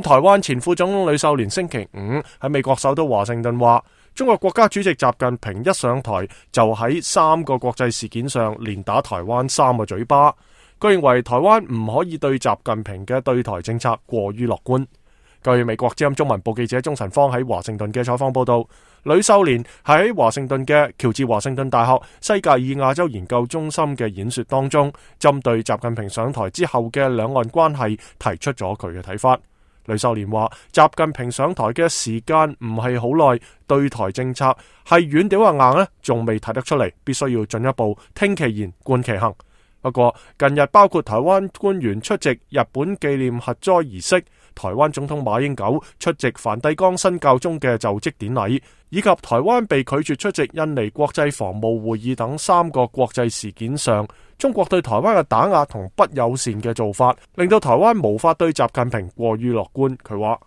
台灣前副總統呂秀蓮星期五喺美國首都華盛頓話，中國國家主席習近平一上台就喺3個國際事件上連打台灣3個嘴巴。佢認為台灣唔可以對習近平嘅對台政策過於樂觀。據美國之音中文部記者鍾晨芳喺華盛頓嘅採訪報道，呂秀蓮喺華盛頓嘅喬治華盛頓大學西格爾亞洲研究中心嘅演說當中，針對習近平上台之後嘅兩岸關係提出咗佢嘅睇法。呂秀蓮話，習近平上台嘅時間唔係好耐，對台政策係軟屌硬呢，仲未睇得出嚟，必須要進一步聽其言觀其行。不過近日包括台灣官員出席日本紀念核災儀式，台灣總統馬英九出席梵蒂岡新教宗嘅就職典禮，以及台灣被拒絕出席印尼國際防務會議等3個國際事件上，中國對台灣嘅打壓同不友善嘅做法，令到台灣無法對習近平過於樂觀。佢話，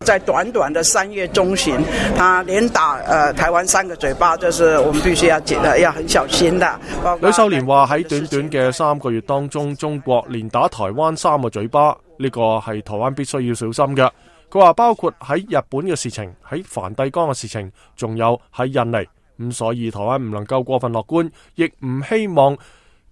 在短短的3月中旬，他連打台灣3個嘴巴，就是我們必須要很小心的。呂秀蓮話喺短短嘅3個月當中，中國連打台灣3個嘴巴，呢個係台灣必須要小心嘅。佢話包括喺日本嘅事情，喺梵蒂岡嘅事情，仲有喺印尼，咁所以台灣唔能夠過分樂觀，亦唔希望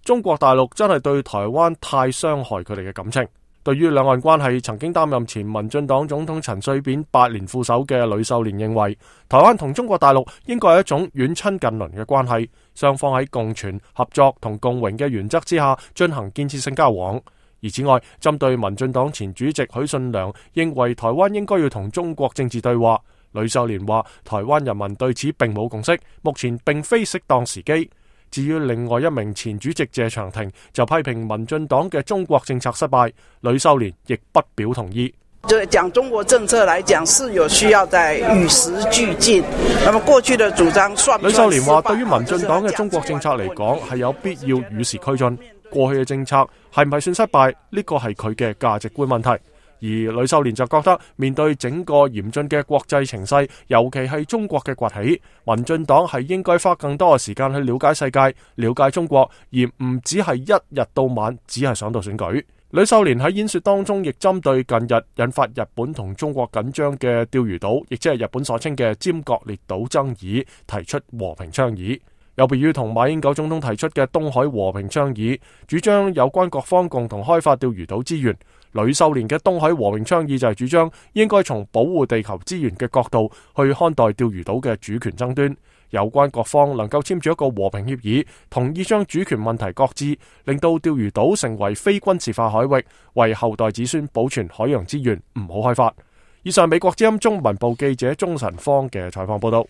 中國大陸真係對台灣太傷害佢哋嘅感情。對於兩岸關係，曾經擔任前民進黨總統陳水扁8年副手嘅呂秀蓮認為，台灣同中國大陸應該係一種遠親近鄰嘅關係，雙方喺共存、合作同共榮嘅原則之下進行建設性交往。而此外，針對民進黨前主席許信良認為台灣應該要同中國政治對話，呂秀蓮話台灣人民對此並冇共識，目前並非適當時機。至於另外一名前主席謝長廷就批評民進黨嘅中國政策失敗，呂秀蓮亦不表同意。就講中國政策來講，是有需要在與時俱進。那麼過去的主張算不算？呂秀蓮話，對於民進黨嘅中國政策嚟講，係有必要與時俱進。過去嘅政策係唔係算失敗？呢個係佢嘅價值觀問題。而呂秀蓮就覺得，面對整個嚴峻嘅國際情勢，尤其係中國嘅崛起，民進黨係應該花更多嘅時間去了解世界、了解中國，而唔只係一日到晚只係想到選舉。呂秀蓮喺演說當中亦針對近日引發日本同中國緊張嘅釣魚島，亦即係日本所稱嘅尖閣列島爭議，提出和平倡議。有別於同馬英九總統提出嘅東海和平倡議，主張有關各方共同開發釣魚島資源，呂秀蓮嘅東海和平倡議就係主張應該從保護地球資源嘅角度去看待釣魚島嘅主權爭端。有關各方能夠簽署一個和平協議，同意將主權問題擱置，令到釣魚島成為非軍事化海域，為後代子孫保存海洋資源，唔好開發。以上美國之音中文部記者鍾晨芳嘅採訪報道。